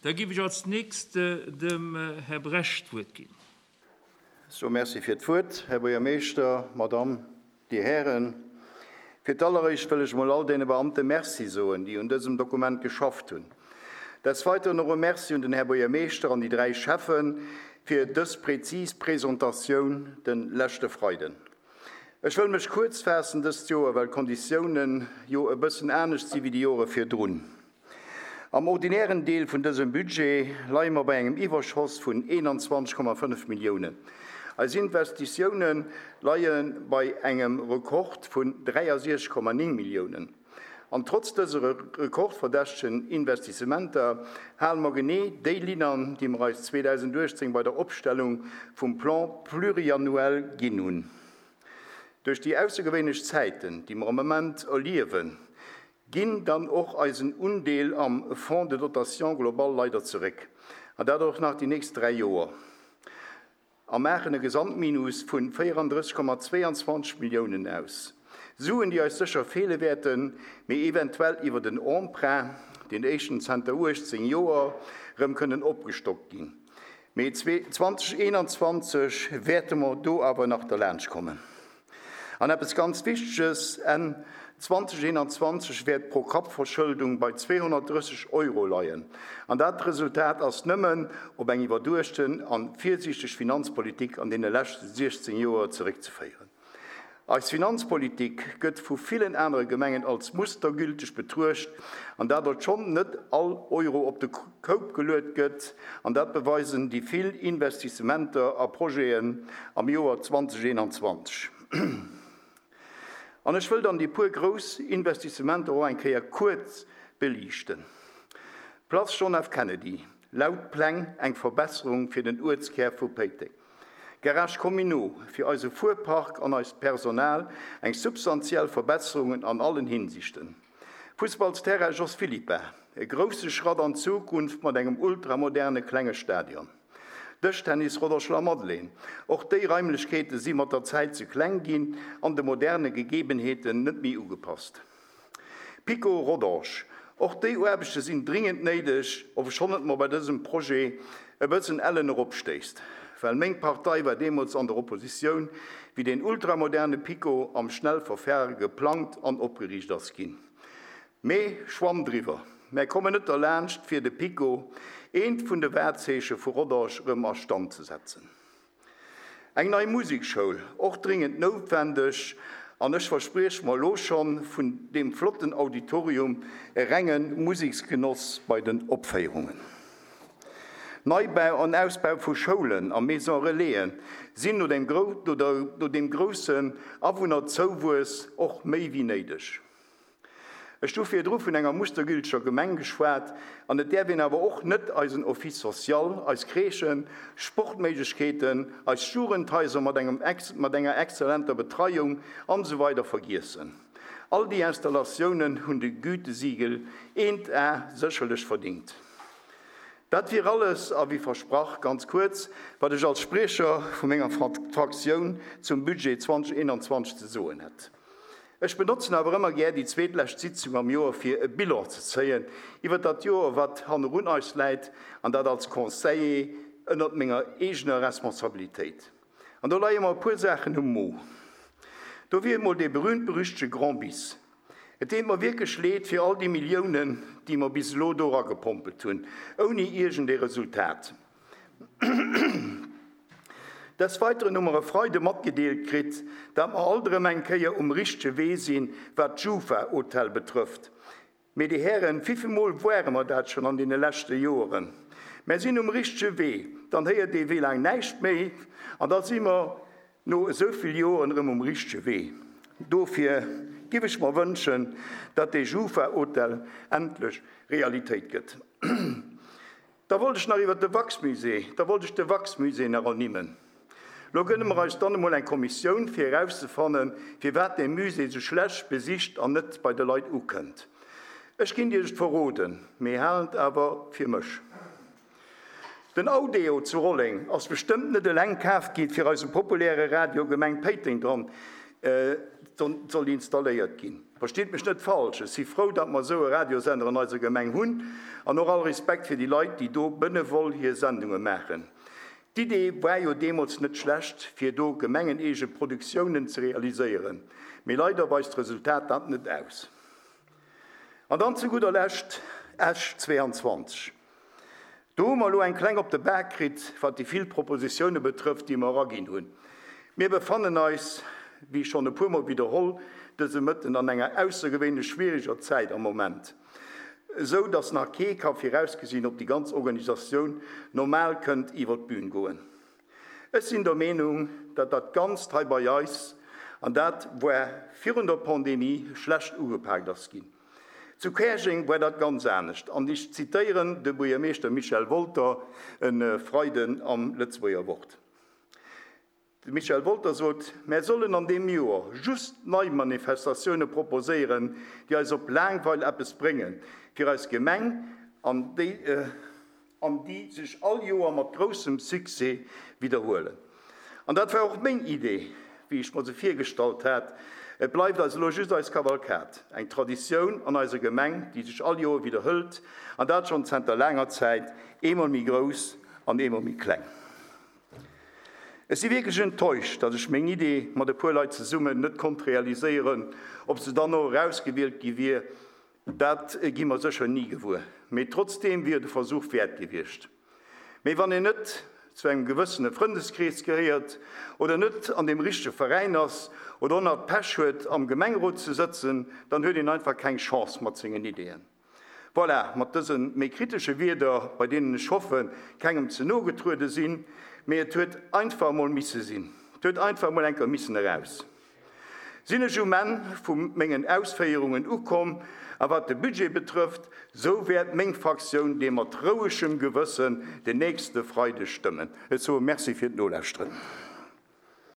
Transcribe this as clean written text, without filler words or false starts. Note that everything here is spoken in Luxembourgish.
Da géif ech als Nächst dem Här Bresch d'Wuert ginn. Ech soe Merci fir d'Wuert, Här Buergermeeschter, Madamm, Dir Hären. Fir d'alleréischt wëll ech emol all deene Beamte Merci soen, déi un dësem Dokument geschafft hunn. Des Weiteren och e Merci un den Här Buergermeeschter an déi 3 Schäffe fir dës präzis Presentatioun de leschte Freiden. Ech wëll mech kuerz faassen dëst Joer, well d'Konditiounen jo e bëssen anescht si wéi déi Jore virdrun. Am ordinären Deel vun dësem Budget leie mer bei engem Iwwerschoss vun 21,5 Milliounen. Eis Investitioune leie bei engem Rekord vun 63,9 Milliounen. An trotz dëse rekordverdächtegen Investissementer hale mer genee déi Linn an, déi mer eis 2018 bei der Opstellung vum Plan pluriannuel ginn hunn. Duerch déi aussergewéinlech Zäiten, déi mer am Ament erliewen, ginn dann och eisen Undeel am Fonds de dotation global leider zeréck, an dat och nach déi nächst 3 Joer. A maachen e Gesamtminus vun 34,22 Milliounen aus. Suen, déi eis sécher feele wäerten, mee eventuell iwwert en Emprunt, deen éischten zenter 18 Joer, rëm kënnen opgestockt ginn. Mee 2021 wäerte mer do awer nach derlaanscht kommen. An eppes ganz Wichteges, Enn 2021 wäert d'Pro-Kapp-Verschëldung bei 230 Euro leien. An dat Resultat ass nëmmen op eng iwwerduechten a virsiichteg Finanzpolitik an deene leschte 16 Joer zeréckzeféieren. Eis Finanzpolitik gëtt vu villen anere Gemengen als mustergülteg betruecht, an dat obschonn net all Euro op de Koup geluet gëtt, an dat beweisen déi vill Investissementer a Projeten am Joer 2021. An ech wëll dann déi puer grouss Investissementer och eng Kéier kuerz beliichten. Place John F. Kennedy, laut Pläng eng Verbesserung fir den Uertskär vu Péiteng. Garage communaux, fir eise Fuerpark an eist Personal eng substantiell Verbesserungen an allen Hinsichten. Fussballsterrain Jos Philippart, e grousse Schratt an d'Zukunft mat engem ultramoderne klenge Stadion. Dëschtennis Roderschler Madeleine, och déi Raimlechkeete si mat der Zäit ze kleng ginn an de moderne Gegebenheeten net méi ugepasst. Pico Rodange, och déi Aarbechte sinn dringend néideg, obschonn et mer bei dësem Projet e bëssen ellen eropstéisst, well meng Partei war deemools an der Oppositioun, wéi deen ultramoderne Pico am Schnellverfahre geplangt an opgeriicht ass ginn. Mee Schwamm driwwer, mär kommen net derlaanscht fir de Pico, eent vun de Wahrzeeche vu Rodange, rëm a Stand ze setzen. Eng nei Musekschoul, och dringend noutwendeg, an ech verspriech mer elo schonn vun deem flotten Auditorium e renge Museksgenoss bei den Opféierungen. Neibau an Ausbau vu Schoulen a Maison Relaisen sinn no deem groussen Awunnerzouwuess och méi wéi néideg. Ech hu virdru vun enger mustergülteger Gemeng geschwat, an et däerf een awer och net eisen Office social, eis Crèchen, Sportméiglechkeeten, eis Jugendhaiser mat engem mat enger exzellenter Betreiung an esou weider vergiessen. All déi Installatiounen hunn de Gütesiegel eent A sécherlech verdingt. Dat wier alles, a wéi versprach ganz kuerz, wat ech als Spriecher vu menger Fraktioun zum Budget 2021 ze soen hätt. Ech benotzen awer ëmmer gär déi zweetlescht Sitzung am Joer fir e Bilan ze zéien iwwer dat Joer wat hannerun eis läit, an dat als Conseiller ënnert menger eegener Responsabilitéit. An do leie mer e puer Saachen um Mo. Do wier emol dee berühmt-berüchtege Grand Bis. Et deet mer wierklech leed fir all déi Milliounen, déi mer bis elo do eragepompelt hunn, ouni iergend ee Resultat. Des Weiteren hu mer e Freide matgedeelt kritt, dat mer alt erëm eng Kéier um richtege Wee sinn, wat d'Jufa-Hotel betrëfft. Mee, Dir Hären, wivillmol woare mer dat schonn an deene leschte Joeren? Mer sinn um richtege Wee, dann héiert ee wéi laang näischt méi an da si mer no esou vill Joeren erëm um richtege Wee. Dofir giff ech mer wënschen, dat dee Jufa-Hotel endlech Realitéit gëtt. Da wollt ech nach iwwert de Wachsmusée, da wollt ech de Wachsmusée nach ernimmen. Lo gënne mer eis dann emol eng Kommissioun, fir erauszefannen, firwat dee Musée sou schlecht besicht an net bei de Leit ukënnt. Ech kinnt Iech et verroden, mee halen et awer fir mech. Den Audeo zu Rolleng ass bestëmmt net eleng kaf gi fir eise populäre Radio Gemeng Péiteng dran soll installéiert ginn. Verstitt mech net falsch, ech si frou, datt mer esou e Radiosender an eiser Gemeng hunn, an och all Respekt fir déi Leit, déi do benevol hir Sendunge maachen. D'Idee war jo deemools net schlecht, fir do gemengeneege Produktiounen ze realiséieren, mee leider weist d'Resultat dat net aus. An dann zu gudder Lescht Esch 22. Do hu mer elo eng kleng op de Bak kritt, wat déi vill Propositioune betrëfft, déi mer eraginn hunn. Mir befannen eis, wéi schonn e puermol widderholl dëse Mëtten, an enger aussergewéinlech schwieriger Zäit am Moment, esou datt nach kee ka virausgesinn, ob déi ganz Organisatioun normal kënnt iwwer d'Bühn goen. Ech sinn der Meenung, datt dat Ganzt hei bei eis, an dat war virun der Pandemie, schlecht ugepaakt ass ginn. Zu Käerjeng war dat ganz anescht, an ech zitéieren de Buergermeeschter Michel Wolter e Freiden am Lëtzebuerger Wort. De Michel Wolter sot, Mär sollen an deem Joer just nei Manifestatioune proposéieren, déi eis op laang Weil eppes bréngen, fir eis Gemeng an déi, an déi sech all Joer mat groussem Succès widderhuelen. An dat war och meng Idee, wéi ech mer se virgestallt hat. Et bleift eis elo just eis Kavalkad, eng Traditioun an eiser Gemeng, déi sech all Joer widderhëlt, an dat schonn zenter laanger Zäit, eemol méi grouss an eemol méi kleng. Ech si wierklech enttäuscht, datt ech meng Idee mat e puer Leit zesummen net konnt realiséieren. Ob se dann och erausgewielt gi wier, Dat gi mer sécher ni gewuer, mee trotzdeem wier et e Versuch wäert gewiescht. Mee wann een net zu engem gewëssene Frëndeskrees gehéiert oder net an deem richtege Veräin ass oder och nach d'Pech huet am Gemengerot ze sëtzen, dann huet een einfach keng Chance mat sengen Ideeën. Voilà, mat dëse méi kritesche Wierder, bei deenen ech hoffen, kengem ze no getruede sinn, mee et huet einfach emol misse sinn, et huet einfach emol eng Kéier missen eraus. Sinn ech um Enn vu mengen Ausféierungen ukomm, a wat de Budget betrëfft, sou wäert meng Fraktioun dee mat rouegem Gewëssen den nächste Freideg stëmmen. Ech soe Merci fir d'Nolauschteren.